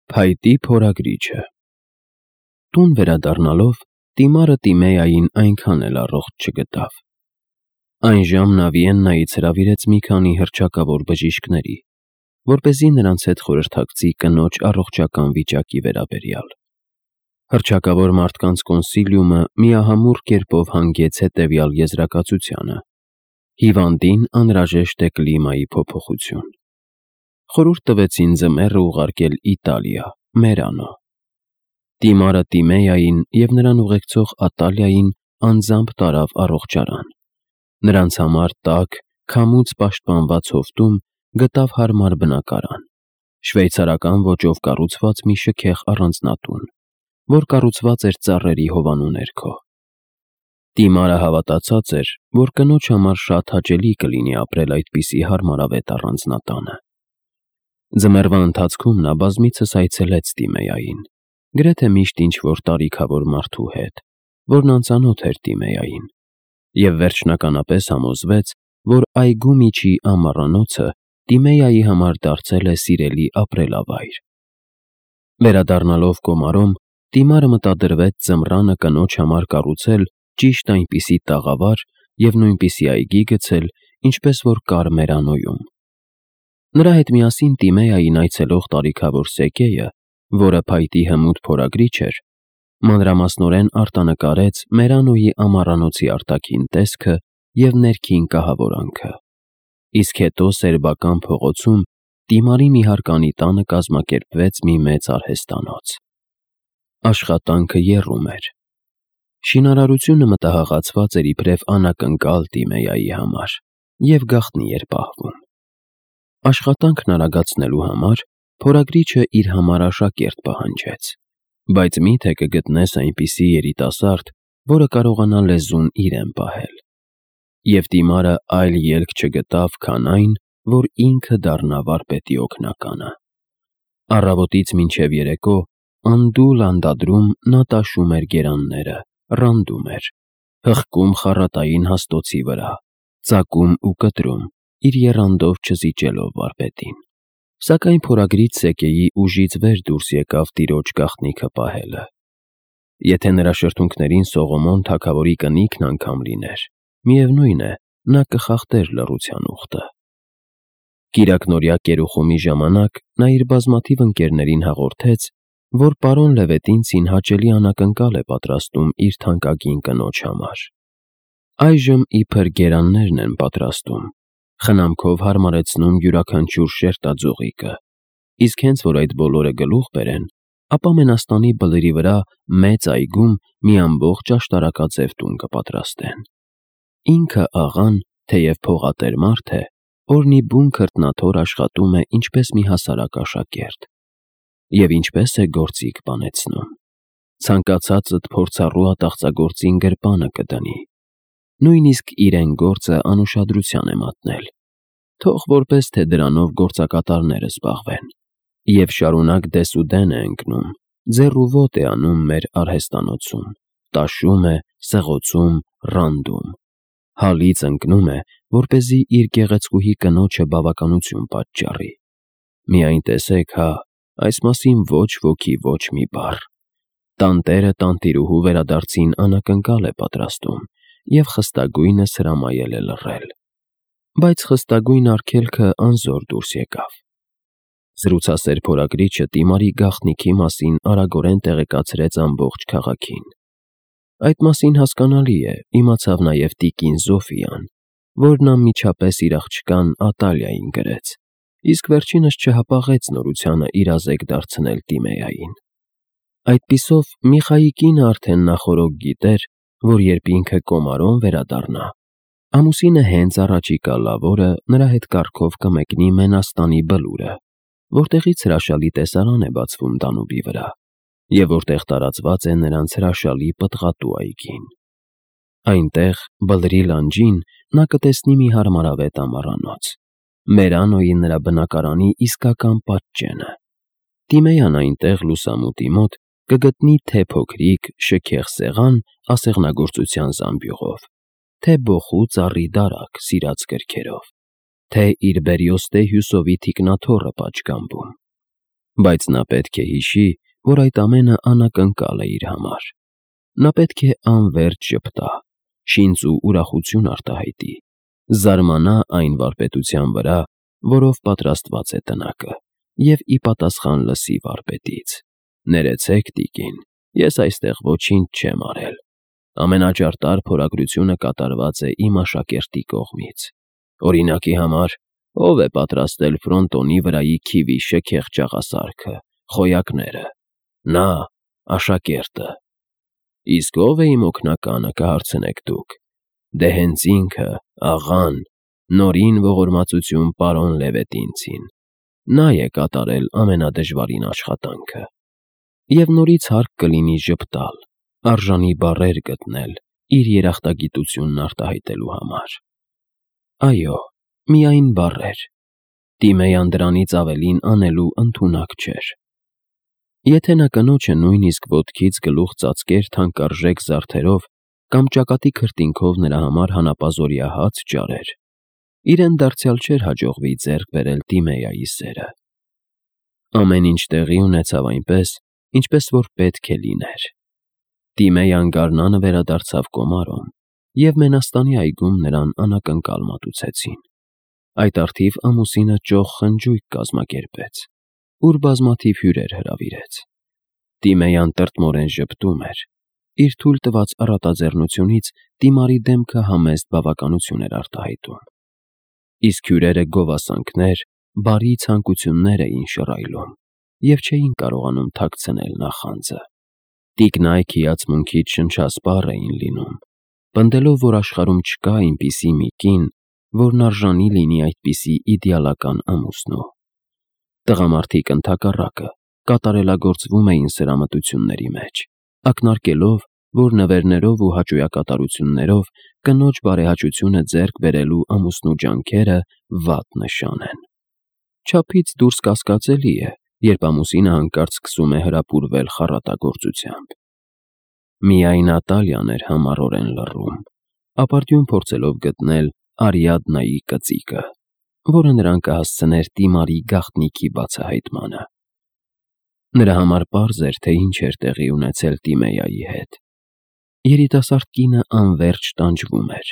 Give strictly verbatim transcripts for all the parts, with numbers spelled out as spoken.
Փայտի փորագրիչը Տուն վերադառնալով Տիմարը Տիմեային այնքան էլ առողջ չգտավ։ Այն ժամ նա Վիեննայից հրավիրեց մի քանի հռչակավոր բժիշկների, որպեսզի նրանց հետ խորհրդակցի կնոջ առողջական վիճակի վերաբերյալ։ Հռչակավոր մարդկանց կոնսիլիումը միահամուռ կերպով հանգեց հետևյալ եզրակացությանը. հիվանդին անհրաժեշտ է կլիմայի փոփոխություն։ Խորհուրդ տվեցին ձմեռը ուղարկել Իտալիա, Մերանո։ Տիմարը Տիմեային և նրան ուղեկցող Ատալիային անձամբ տարավ առողջարան։ Նրանց համար տաք, քամուց պաշտպանված հովտում գտավ հարմար բնակարան, շվեյցարական ոճով կառուցված մի շքեղ առանձնատուն, որ կառուցված էր ծառերի հովանու ներքո։ Տիմարը հավատացած էր, որ կնոջ համար շատ հաճելի կլինի ապրել այդպիսի հարմարավետ առանձնատանը։ Ձմեռվա ընթացքում նա բազմիցս այցելեց Տիմեային, գրեթե միշտ ինչ-որ տարիքավոր մարդու հետ, որն անծանոթ էր Տիմեային, և վերջնականապես համոզվեց, որ այգու միջի ամառանոցը Տիմեայի համար դարձել է սիրելի ապրելավայր։ Վերադառնալով Կոմարոմ, Տիմարը մտադրվեց ձմռանը կնոջ համար կառուցել ճիշտ այնպիսի տաղավար և նույնպիսի այգի գցել, ինչպես որ կար Մերանոյում։ Նրա հետ միասին Տիմեային այցելող տարիքավոր սեկեյը, որը փայտի հմուտ փորագրիչ էր, մանրամասնորեն արտանկարեց Մերանոյի ամառանոցի արտաքին տեսքը և ներքին կահավորանքը, իսկ հետո սերբական փողոցում Տիմարի մի հարկանի տանը կազմակերպվեց մի մեծ արհեստանոց։ Աշխատանքը եռում էր։ Շինարարությունը մտահղացված էր իբրև անակնկալ Տիմեայի համար և գաղտնի էր պահվում։ Աշխատանքն արագացնելու համար փորագրիչը իր համար աշակերտ պահանջեց, բայց մի՞թե կգտնես այնպիսի երիտասարդ, որը կարողանա լեզուն իրեն պահել։ Եվ Տիմարը այլ ելք չգտավ, քան այն, որ ինքը դառնա վարպետի օգնականը։ Առավոտից մինչև երեկո անդուլ անդադրում նա տաշում էր գերանները, ռանդում էր, հղկում խառատային հաստոցի վրա, ծակում ու կտրում, իր եռանդով չզիջելով վարպետին։ Սակայն փորագրիչ սեկեյի ուժից վեր դուրս եկավ տիրոջ գաղտնիքը պահելը։ Եթե նրա շրթունքներին Սողոմոն թագավորի կնիքն անգամ լիներ, միևնույն է, նա կխախտեր լռության ուխտը։ Կիրակնօրյա կերուխումի ժամանակ նա իր բազմաթիվ ընկերներին հաղորդեց, որ պարոն Լևետինցին հաճելի անակնկալ է պատրաստում իր թանկագին կնոջ համար։ Այժմ իբր գերաններն են պատրաստում, խնամքով հարմարեցնում յուրաքանչյուր շերտաձողիկը, իսկ հենց որ այդ բոլորը գլուխ բերեն, ապա Մենաստանի բլրի վրա մեծ այգում մի ամբողջ աշտարակաձև տուն կպատրաստեն։ Ինքը աղան, թեև փողատեր մարդ է, օրնի բուն քրտնաթոր աշխատում է ինչպես մի հասարակ աշակերտ։ Եվ ինչպես է գործիք բանեցնում։ Ցանկացածդ փորձառու ատաղծագործին գրպանը կդնի։ Նույնիսկ իրեն գործը անուշադրության է մատնել։ Թող որպես թե դրանով գործակատարները զբաղվեն։ Եվ շարունակ դեսուդեն է ընկնում, ձեռ ու ոտ է անում մեր արհեստանոցում, տաշում է, սղոցում, ռանդում։ Հալից ընկնում է, որպեսզի իր գեղեցկուհի կնոջը բավականություն պատճառի։ Միայն տեսեք հա, այս մասին ոչ ոքի ոչ մի բառ։ Տանտերը տանտիրուհու վերադարձին անակնկալ է պատրաստում և խստագույնս հրամայել է լռել։ Բայց խստագույն արգելքը անզոր դուրս եկավ։ Զրուցասեր փորագրիչը Տիմարի գաղտնիքի մասին արագորեն տեղեկացրեց ամբողջ քաղաքին։ Այդ մասին հասկանալի է, իմացավ նաև տիկին Զոֆիան, որն անմիջապես իր աղջկան Ատալիային գրեց, իսկ վերջինս չհապաղեց նորությանը իրազեկ դարձնել Տիմեային։ Այդպիսով Միխայի կինը արդեն նախօրոք գիտեր, որ երբ ինքը Կոմարոն վերադառնա, ամուսինը հենց առաջիկա լավ օրը նրա հետ կառքով կմեկնի Մենաստանի բլուրը, որտեղից հրաշալի տեսարան է բացվում Դանուբի վրա, և որտեղ տարածված է նրանց հրաշալի պտղատու այգին։ Այնտեղ, բլրի լանջին, նա կտեսնի մի հարմարավետ ամառանոց, Մերանոյի նրա բնակարանի իսկական պատճենը։ Տիմեյան այնտեղ լուսամուտի մոտ կգտնի թե փոքրիկ, շքեղ սեղան ասեղնագործության զամբյուղով, թե բոխու ծառի դարակ սիրած գրքերով, թե իր բերիոստե հյուսովի թիկնաթոռը պատշգամբում։ բայց նա պետք է հիշի, որ այդ ամենը անակնկալ է իր համար։ Նա պետք է անվերջ ժպտա, շինծ ու ուրախություն արտահայտի, զարմանա այն վարպետության վրա, որով պատրաստված է տնակը, և ի պատասխան լսի վարպետից. «Ներեցեք, տիկին, ես այստեղ ոչինչ չեմ արել։ Ամենաճարտար փորագրությունը կատարված է իմ աշակերտի կողմից։ Օրինակի համար, ով է պատրաստել ֆրոնտոնի վրայի քիվի շքեղ ճաղասարքը, խոյակները։ Նա, աշակերտը։ Իսկ ո՞վ է իմ օգնականը, կհարցնեք դուք։ Դե հենց ինքը, աղան, Նորին ողորմածություն պարոն Լևետինցին։ Նա է կատարել ամենադժվարին աշխատանքը»։ Եվ նորից հարկ կլինի ժպտալ, արժանի բառեր գտնել իր երախտագիտությունն արտահայտելու համար։ Այո, միայն բառեր։ Տիմեյան դրանից ավելին անելու ընդունակ չէր։ Եթե նա կնոջը նույնիսկ ոտքից գլուխ ծածկեր թանկարժեք զարդերով կամ ճակատի քրտինքով նրա համար հանապազօրյա հաց ջարեր, իրեն դարձյալ չէր հաջողվի ձեռք բերել Տիմեյայի սերը։ Ամեն ինչ տեղի ունեցավ այնպես, ինչպես որ պետք է լիներ։ Տիմեյան գարնանը վերադարձավ Կոմարոն, և Մենաստանի այգում նրան անակնկալ մատուցեցին։ Այդ առթիվ ամուսինը ճոխ խնջույք կազմակերպեց, ուր բազմաթիվ հյուրեր հրավիրեց։ Տիմեյան տրտմորեն ժպտում էր, իր թույլ տված առատաձեռնությունից Տիմարի դեմքը համեստ բավականություն էր արտահայտում։ Իսկ հյուրերը գովասանքներ, բարի ցանկություններ էին շռայլում և չէին կարողանում թաքցնել նախանձը։ Տիկնայք հիացմունքից շնչասպառ էին լինում, պնդելով, որ աշխարհում չկա այնպիսի մի կին, որն արժանի լինի այդպիսի իդեալական ամուսնու։ Տղամարդիկ ընդհակառակը կատարելագործվում էին սրամտությունների մեջ, ակնարկելով, որ նվերներով ու հաճոյակատարություններով կնոջ բարեհաճությունը ձեռք բերելու ամուսնու ջանքերը վատ նշան են։ Չափից դուրս կասկածելի է, երբ ամուսինը հանկարծ սկսում է հրապուրվել խառատագործությամբ։ Միայն Ատալիան էր համառորեն լռում, ապարդյուն փորձելով գտնել Արիադնայի կծիկը, որը նրան կհասցներ Տիմարի գաղտնիքի բացահայտմանը։ Նրա համար պարզ էր, թե ինչ էր տեղի ունեցել Տիմեյայի հետ։ Երիտասարդ կինը անվերջ տանջվում էր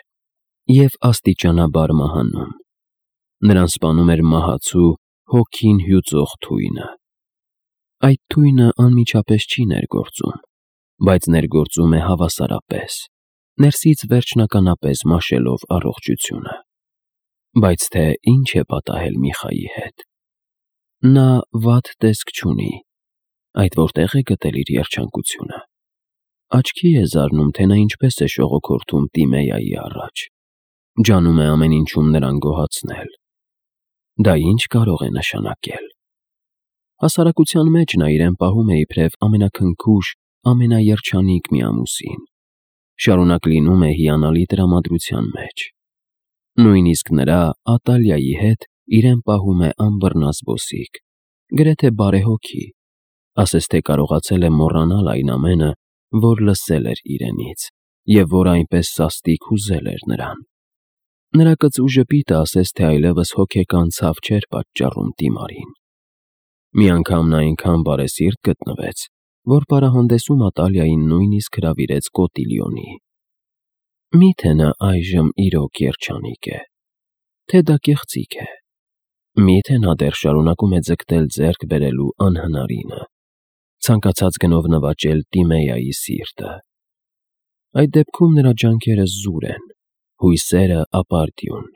և աստիճանաբար մահանում։ Նրան սպանում էր մահացու, հոգին հյուծող թույնը։ Այդ թույնը անմիջապես չի ներգործում, բայց ներգործում է հավասարապես, ներսից վերջնականապես մաշելով առողջությունը։ Բայց թե ինչ է պատահել Միխայի հետ։ Նա վատ տեսք չունի, այդ որտեղ է գտել իր երջանկությունը։ Աչքի է զարնում, թե նա ինչպես է շողոքորթում Տիմեյայի առաջ, ջանում է ամեն ինչում նրան գոհացնել։ Դա ինչ կարող է նշանակել։ Հասարակության մեջ նա իրեն պահում է իբրև ամենաքնքուշ, ամենաերջանիկ մի ամուսին, շարունակ լինում է հիանալի տրամադրության մեջ։ Նույնիսկ նրա Ատալիայի հետ իրեն պահում է անբռնազբոսիկ, գրեթե բարեհոգի, ասես թե կարողացել է մոռանալ այն ամենը, որ լսել էր իրենից, և որ այնպես սաստիկ հուզել էր նրան։ Նրա կծու ժպիտը ասես թե այլևս հոգեկան ցավ չէր պատճառում Տիմարին։ Մի անգամ նա այնքան բարեսիրտ գտնվեց, որ պարահանդեսում Ատալիային նույնիսկ հրավիրեց կոտիլյոնի։ Մի՞թե նա այժմ իրոք երջանիկ է, թե դա կեղծիք է։ Մի՞թե նա դեռ շարունակում է ձգտել ձեռք բերելու անհնարինը, ցանկացած գնով նվաճել Տիմեյայի սիրտը։ Այդ դեպքում նրա ջանքերը զուր են, հույսերը ապարդյուն։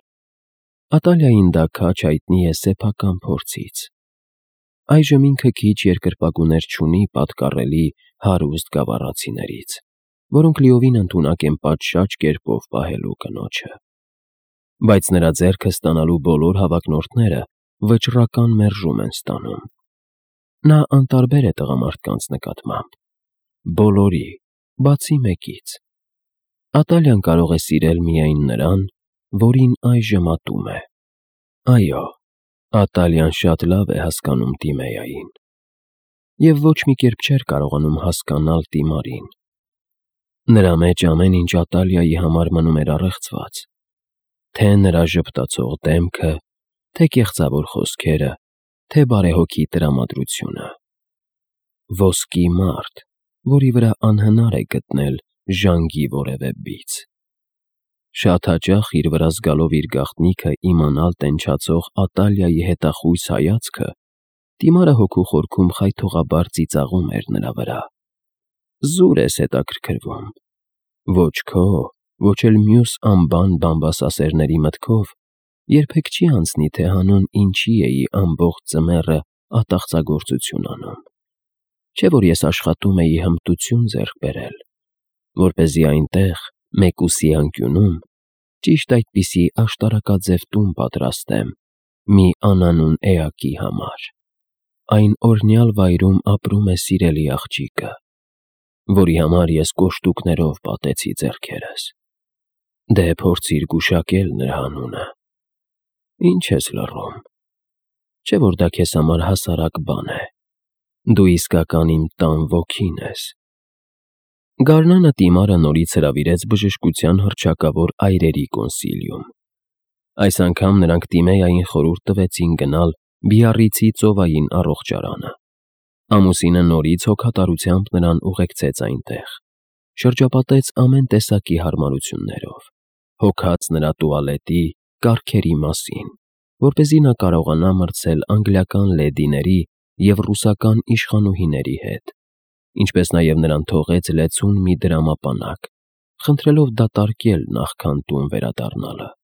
Ատալիային դա քաջ հայտնի է սեփական փորձից։ Այժմ ինքը քիչ երկրպագուներ չունի պատկառելի հարուստ գավառացիներից, որոնք լիովին ընդունակ են պատշաճ կերպով պահելու կնոջը։ Բայց նրա ձեռքը ստանալու բոլոր հավակնորդները վճռական մերժում են ստանում։ Նա անտարբեր է տղամարդկանց նկատմամբ։ Բոլորի, բացի մեկից։ Ատալիան կարող է սիրել միայն նրան, որին այժմ ատում է։ Այո, Ատալիան շատ լավ է հասկանում Տիմեյային։ Եվ ոչ մի կերպ չէր կարողանում հասկանալ Տիմարին։ Նրա մեջ ամեն ինչ Ատալիայի համար մնում էր առեղծված։ Թե նրա ժպտացող դեմքը, թե կեղծավոր խոսքերը, թե բարեհոգի տրամադրությունը։ Ոսկի մարդ, որի վրա անհնար է գտնել ժանգի որևէ բիծ։ Շատ հաճախ իր վրա զգալով իր գաղտնիքը իմանալ տենչացող Ատալիայի հետախույս հայացքը, Տիմարը հոգու խորքում խայթողաբար ծիծաղում էր նրա վրա։ Զուր ես հետաքրքրվում։ Ոչ քո, ոչ էլ մյուս անբան բամբասասերների մտքով երբեք չի անցնի, թե հանուն ինչի էի ամբողջ ձմեռը ատաղծագործություն անում։ Չէ՞ որ ես աշխատում էի հմտություն ձեռք բերել, որպեսզի այնտեղ, մեկուսի անկյունում, ճիշտ այդպիսի աշտարակաձև տուն պատրաստեմ մի անանուն էակի համար։ Այն օրհնյալ վայրում ապրում է սիրելի աղջիկը, որի համար ես կոշտուկներով պատեցի ձեռքերս։ Դե փորձիր գուշակել նրա անունը։ Ինչ ես լռում։ Չէ՞ որ դա քեզ համար հասարակ բան է։ Դու իսկական իմ տան ոգին ես։ Գարնանը Տիմարը նորից հրավիրեց բժշկության հռչակավոր այրերի կոնսիլիում։ Այս անգամ նրանք Տիմեային խորհուրդ տվեցին գնալ Բիառիցի ծովային առողջարանը։ Ամուսինը նորից հոգատարությամբ նրան ուղեկցեց այնտեղ, շրջապատեց ամեն տեսակի հարմարություններով, հոգաց նրա տուալետի, կարգերի մասին, որպեսզի նա կարողանա մրցել անգլիական լեդիների և ռուսական իշխանուհիների հետ, ինչպես նաև նրան թողեց լեցուն մի դրամապանակ, խնդրելով դատարկել նախքան տուն վերադառնալը։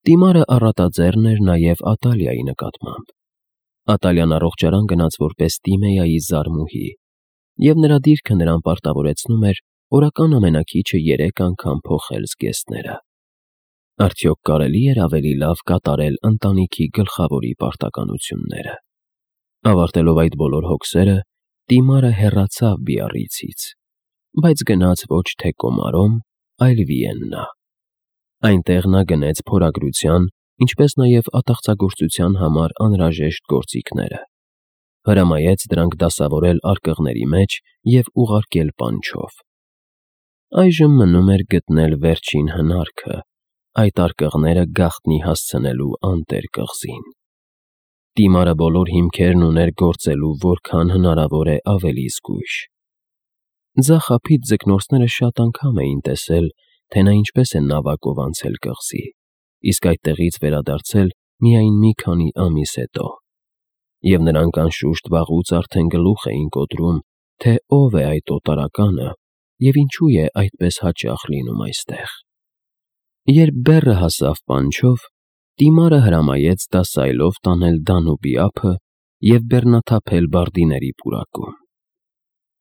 Տիմարը առատաձեռն էր նաև Ատալիայի նկատմամբ։ Ատալիան առողջարան գնաց որպես Տիմեայի զարմուհի, և նրա դիրքը նրան պարտավորեցնում էր օրական ամենաքիչը երեք անգամ փոխել զգեստները։ Արդյոք կարելի էր ավելի լավ կատարել ընտանիքի գլխավորի պարտականությունները։ Ավարտելով այդ բոլոր հոգսերը, Տիմարը հեռացավ Բիառիցից, բայց գնաց ոչ թե Կոմարոմ, այլ Վիեննա։ Այնտեղ նա գնեց փորագրության, ինչպես նաև ատաղծագործության համար անհրաժեշտ գործիքները, հրամայեց դրանք դասավորել արկղների մեջ և ուղարկել պանչով։ Այժմ մնում էր գտնել վերջին հնարքը, այդ արկղները գաղտնի հասցնելու անտեր կղզին։ Տիմարը բոլոր հիմքերն ուներ գործելու որքան հնարավոր է ավելի զգույշ։ Ձախափից ձկնորսները շատ անգամ էին տեսել, թե նա ինչպես է նավակով անցել կղզի, իսկ այդտեղից վերադարձել միայն մի քանի ամիս հետո, և նրանք անշուշտ վաղուց արդեն գլուխ էին կոտրում, թե ով է այդ օտարականը և ինչու է այդպես հաճախ լինում այստեղ։ Երբ բեռը հասավ պանչով, Տիմարը հրամայեց դասայլով տանել Դանուբի ափը և բեռնաթափել բարդիների պուրակում։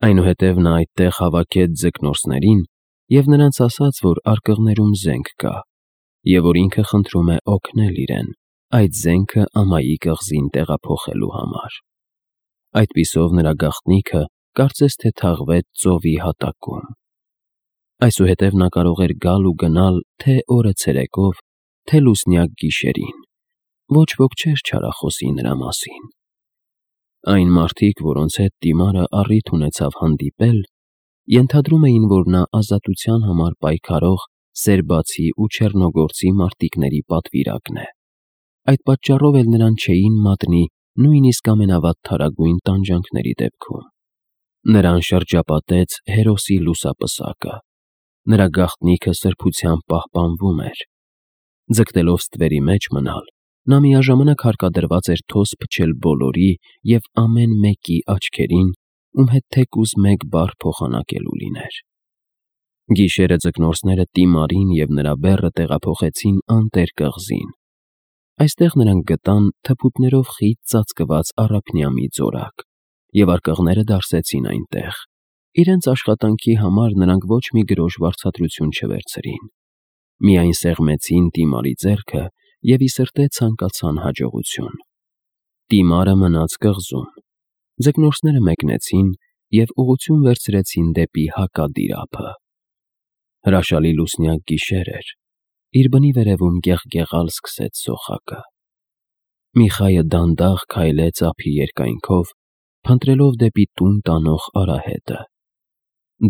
Այնուհետև նա այդտեղ հավաքեց ձկնորսներին և նրանց ասաց, որ արկղներում զենք կա, և որ ինքը խնդրում է օգնել իրեն այդ զենքը ամայի կղզին տեղափոխելու համար։ Այդպիսով նրա գաղտնիքը կարծես թե թաղվեց ծովի հատակում։ Այսուհետև նա կարող էր գալ ու գնալ թե օրը ցերեկով, թե լուսնյակ գիշերին, ոչ ոք չէր չարախոսի նրա մասին։ Այն մարդիկ, որոնց հետ Տիմարը առիթ ունեցավ հանդիպել, ենթադրում էին, որ նա ազատության համար պայքարող սերբացի ու չեռնոգործի մարտիկների պատվիրակն է։ Այդ պատճառով էլ նրան չէին մատնի նույնիսկ ամենավատթարագույն տանջանքների դեպքում։ Նրան շրջապատեց հերոսի լուսապսակը։ Նրա գաղտնիքը սրբությամբ պահպանվում էր։ Ձգտելով ստվերի մեջ մնալ, նա միաժամանակ հարկադրված էր թոս փչել բոլորի և ամեն մեկի աչքերին, ում հետ թեկուզ մեկ բառ փոխանակելու լիներ։ Գիշերը ձկնորսները Տիմարին և նրա բեռը տեղափոխեցին անտեր կղզին։ Այստեղ նրանք գտան թփուտներով խիտ ծածկված առափնյա մի ձորակ, և արկղները դարսեցին այնտեղ։ Իրենց աշխատանքի համար նրանք ոչ մի գրոշ վարձատրություն չվերցրին, միայն սեղմեցին Տիմարի ձեռքը և ի սրտե ցանկացան հաջողություն։ Տիմարը մնաց կղզում։ Ձկնորսները մեկնեցին և ուղղություն վերցրեցին դեպի հակադիր ափը։ Հրաշալի լուսնյակ գիշեր էր, իր բնի վերևում գեղգեղալ սկսեց սոխակը։ Միխայը դանդաղ քայլեց ափի երկայնքով, փնտրելով դեպի տուն տանող արահետը։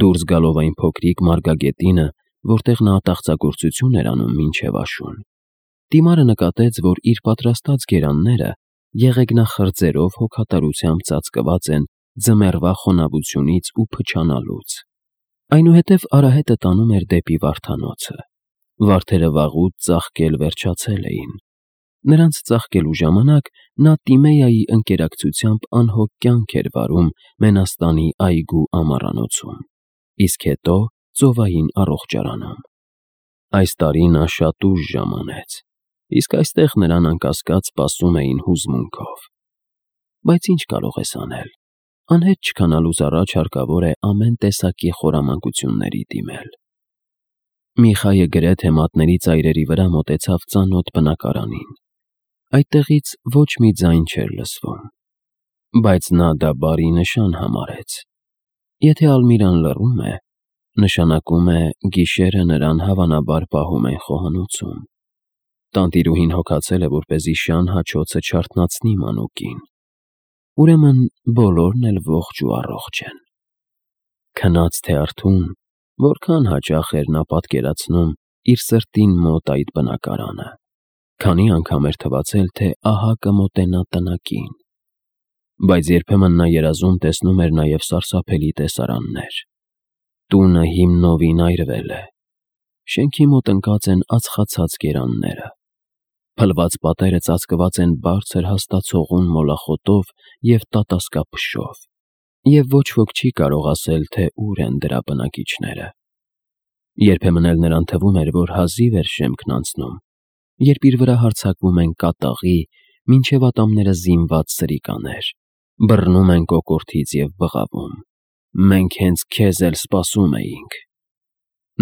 Դուրս գալով այն փոքրիկ մարգագետինը, որտեղ նա ատաղծագործություն էր անում մինչև աշուն, Տիմարը նկատեց, որ իր պատրաստած գերանները եղեգնախրձերով հոգատարությամբ ծածկված են ձմեռվա խոնավությունից ու փչանալուց։ Այնուհետև արահետը տանում էր դեպի վարդանոցը։ Վարդերը վաղուց ծաղկել վերջացել էին։ Նրանց ծաղկելու ժամանակ նա Տիմեայի ընկերակցությամբ անհոգ կյանք էր վարում Մենաստանի այգու ամառանոցում, իսկ հետո ծովային առողջարանում։ Այս տարի նա շատ ուշ ժամանեց, իսկ այստեղ նրան անկասկած սպասում էին հուզմունքով։ Բայց ինչ կարող ես անել։ Անհետ չքանալուց առաջ հարկավոր է ամեն տեսակի խորամանկությունների դիմել։ Միխայը գրեթե մատների ծայրերի վրա մոտեցավ ծանոթ բնակարանին։ Այդտեղից ոչ մի ձայն չէր լսվում, բայց նա դա բարի նշան համարեց։ Եթե Ալմիրան լռում է, նշանակում է գիշերը նրան հավանաբար պահում են խոհանոցում։ Տանտիրուհին հոգացել է, որպեսզի շան հաչոցը չարթնացնի մանուկին։ Ուրեմն բոլորն էլ ողջ ու առողջ են։ Քնած թե արթուն, որքան հաճախ էր նա պատկերացնում իր սրտին մոտ այդ բնակարանը, քանի անգամ էր թվացել, թե ահա կմոտենա տնակին։ Բայց երբեմն նա երազում տեսնում էր նաև սարսափելի տեսարաններ։ Տունը հիմնովին այրվել է։ Շենքի մոտ ընկած են ածխացած գերանները։ Փլված պատերը ծածկված են բարձր հաստացողուն մոլախոտով և տատասկափշով, և ոչ ոք չի կարող ասել, թե ուր են դրա բնակիչները։ Երբեմն էլ նրան թվում էր, որ հազիվ էր շեմքն անցնում, երբ իր վրա հարձակվում են կատաղի, մինչև ատամները զինված սրիկաներ, բռնում են կոկորդից և բղավում. «Մենք հենց քեզ էլ սպասում էինք»։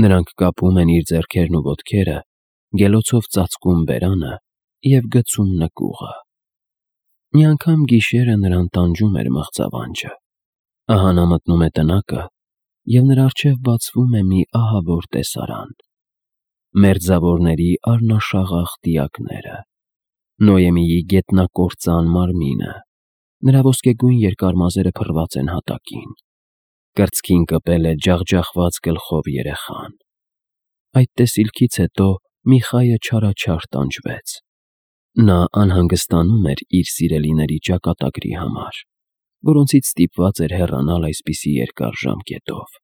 Նրանք կապում են իր ձեռքերն ու ոտքերը, գելոցով ծածկում բերանը և գցում նկուղը։ Մի անգամ գիշերը նրան տանջում էր մղձավանջը։ Ահա նա մտնում է տնակը, և նրա առջև բացվում է մի ահավոր տեսարան։ Մերձավորների առնաշաղախ դիակները, Նոյեմիի գետնակործան մարմինը, նրա ոսկեգույն երկար մազերը փռված են հատակին, կրծքին կպել է ջախջախված գլխով երեխան։ Այդ տեսիլքից հետո Միխայը չարաչար տանջվեց։ Նա անհանգստանում էր իր սիրելիների ճակատագրի համար, որոնցից ստիպված էր հեռանալ այսպիսի երկար ժամկետով։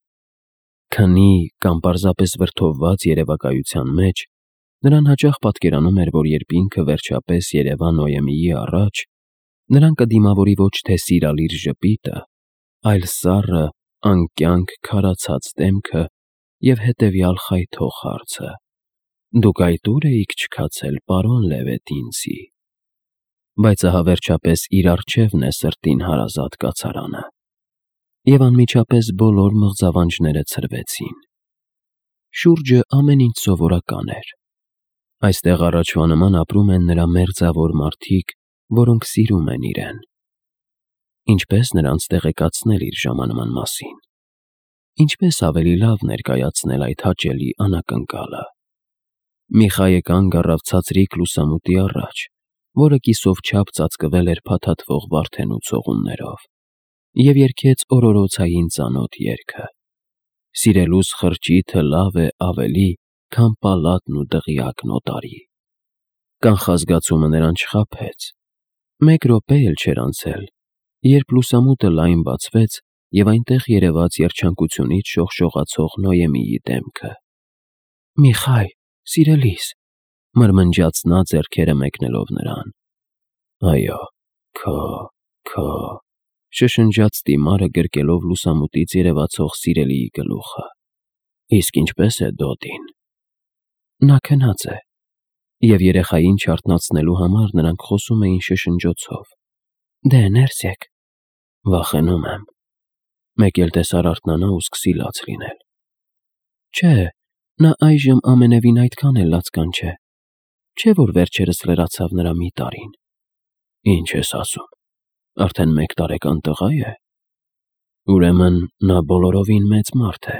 Քնի կամ պարզապես վրդովված երևակայության մեջ նրան հաճախ պատկերանում էր, որ երբ ինքը վերջապես երևա Նոյեմիի առաջ, նրան կդիմավորի ոչ թե սիրալիր ժպիտը, այլ սառը, անկյանք քարացած դեմքը և հետևյալ խայթող հարցը. «Դուք այդ ու՞ր էիք չքացել, պարոն Լևետինցի»։ Բայց ահա վերջապես իր առջևն է սրտին հարազատ կացարանը։ Եվ անմիջապես բոլոր մղձավանջները ցրվեցին։ Շուրջը ամեն ինչ սովորական էր։ Այստեղ առաջվա նման ապրում են նրա մերձավոր մարդիկ, որոնք սիրում են իրեն։ Ինչպե՞ս նրանց տեղեկացնել իր ժամանման մասին։ Ինչպես ավելի լավ ներկայացնել այդ հաճելի անակնկալը։ Միխայը կանգ առավ ցածրիկ լուսամուտի առաջ, որը կիսով չափ ծածկվել էր փաթաթվող Վարդենու ցողուններով, և երգեց օրորոցային ծանոթ երգը. «Սիրելուս խրճիթը լավ է ավելի, քան պալատն ու դղյակն օտարի»։ Կանխազգացումը նրան չխաբեց։ Մեկ րոպե էլ չէր անցել, երբ լուսամուտը լայն բացվեց, և այնտեղ երևաց երջանկությունից շողշողացող Նոյեմիի դեմքը։ «Միխայ, սիրելիս», մրմնջաց նա ձեռքերը մեկնելով նրան։ «Այո, քո, քո», շշնջաց Տիմարը գրկելով լուսամուտից երևացող սիրելիի գլուխը։ «Իսկ ինչպե՞ս է Դոդին»։ Նա քնած է։ Եվ երեխային չարթնացնելու համար նրանք խոսում էին շշնջոցով։ Դե ներս եկ։ Վախենում եմ։ Մեկ էլ տեսար արթնանա ու սկսի լաց լինել։ Չէ, նա այժմ ամենևին այդքան էլ լացկան չէ։ Չէ՞ որ վերջերս լրացավ նրա մի տարին։ Ինչ ես ասում, արդեն մեկ տարեկան տղա է։ Ուրեմն նա բոլորովին մեծ մարդ է։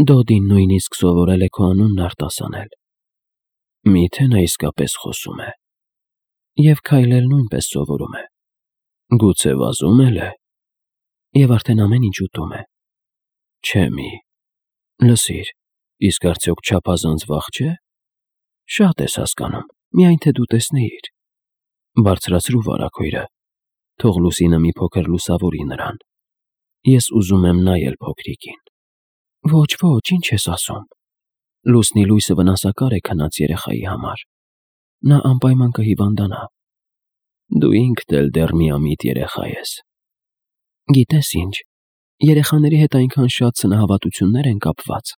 Դոդին նույնիսկ սովորել է քո անունն արտասանել։ Մի՞թե նա իսկապես խոսում է։ Եվ քայլել նույնպես սովորում է։ Գուցե վազում էլ է։ Եվ արդեն ամեն ինչ ուտում է։ Չէ մի։ Լսիր, իսկ արդյոք չափազանց վաղ չէ։ Շատ ես հասկանում, միայն թե դու տեսնեիր։ Բարձրացրու վարագույրը, թող լուսինը մի փոքր լուսավորի նրան։ Ես ուզում եմ նայել փոքրիկին։ Ոչ, ոչ, ինչ ես ասում։ Լուսնի լույսը վնասակար է քնած երեխայի համար։ Նա անպայման կհիվանդանա։ Դու ինքդ էլ դեռ միամիտ երեխա ես։ Գիտես ինչ, երեխաների հետ այնքան շատ սնահավատություններ են կապված,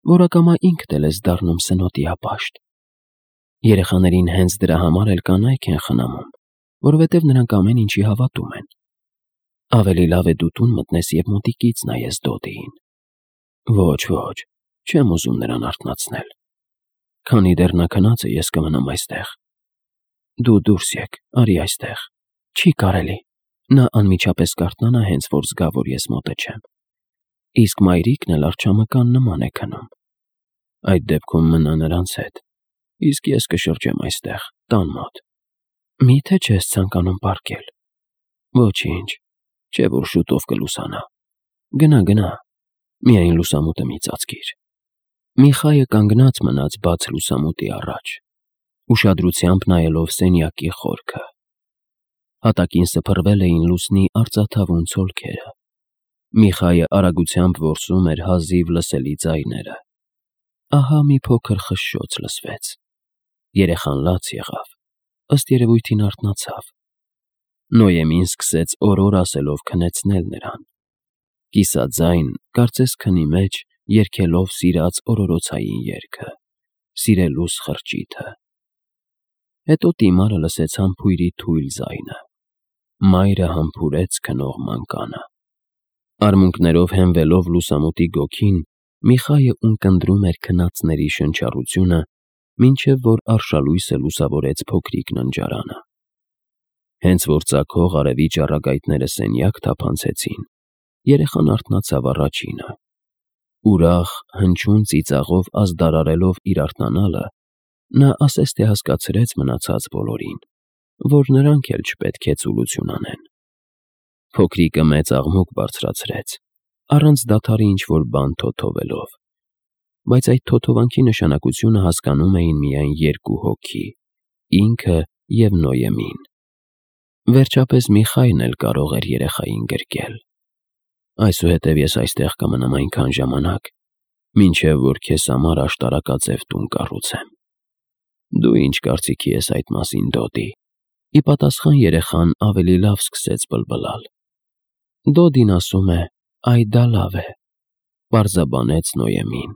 որ ակամա ինքդ էլ ես դառնում սնոտի ապաշտ։ Երեխաներին հենց դրա համար էլ կանայք են խնամում, որովհետև նրանք ամեն ինչի հավատում են։ Ավելի լավ է դու տուն մտնես և մոտիկից նայես Դոդիին։ Ոչ, ոչ, չեմ ուզում նրան արթնացնել։ Քանի դեռ նա քնած է, ես կմնամ այստեղ։ Դու դուրս եկ, արի այստեղ։ Չի կարելի։ Նա անմիջապես կարթնանա, հենց որ զգա, որ ես մոտը չեմ։ Իսկ մայրիկն էլ արջամկան նման է քնում։ Այդ դեպքում մնա նրանց հետ, իսկ ես կշրջեմ այստեղ, տան մոտ։ Մի՞թե չես ցանկանում պառկել։ Ոչինչ, չէ՞ որ շուտով կլուսանա։ Գնա, գնա, միայն լուսամուտը մի ծածկիր։ Միխայը կանգնած մնաց բաց լուսամուտի առաջ, ուշադրությամբ նայելով սենյակի խորքը։ Հատակին սփռվել էին լուսնի արծաթավուն ցոլքերը։ Միխայը արագությամբ որսում էր հազիվ լսելի ձայները։ Ահա մի փոքր խշշոց լսվեց։ Երեխան լաց եղավ, ըստ երևույթին արթնացավ։ Նոյեմին սկսեց օրոր ասելով քնեցնել նրան։ Կիսաձայն, կարծես քնի մեջ, երգելով սիրած օրորոցային երգը, սիրելուս խրճիթը։ Հետո Տիմարը լսեց համբույրի թույլ ձայնը։ Մայրը համբուրեց քնող մանկանը։ Արմունկներով հենվելով լուսամուտի գոգին, Միխայը ունկնդրում էր քնածների շնչառությունը, մինչև որ արշալույսը լուսավորեց փոքրիկ ննջարանը։ Հենց որ ծագող արևի ճառագայթները սենյակ թափանցեցին, երեխան արթնացավ առաջինը։ Ուրախ, հնչյուն ծիծաղով ազդարարելով իր արթնանալը, նա ասես թե հասկացրեց մնացած բոլորին, որ նրանք էլ չպետք է ծուլություն անեն։ Փոքրիկը մեծ աղմուկ բարձրացրեց, առանց դադարի ինչ-որ բան թոթովելով, բայց այդ թոթովանքի նշանակությունը հասկանում էին միայն երկու հոգի՝ ինքը և Նոյեմին։ Վերջապես Միխայն էլ կարող էր երեխային գրկել։ Այսուհետև ես այստեղ կմնամ այնքան ժամանակ, մինչև որ քեզ համար աշտարակաձև տուն կառուցեմ։ Դու ինչ կարծիքի ես այդ մասին, Դոդի։ Ի պատասխան երեխան ավելի լավ սկսեց բլբլալ։ Դոդին ասում է՝ այ դա լավ է, պարզաբանեց Նոյեմին։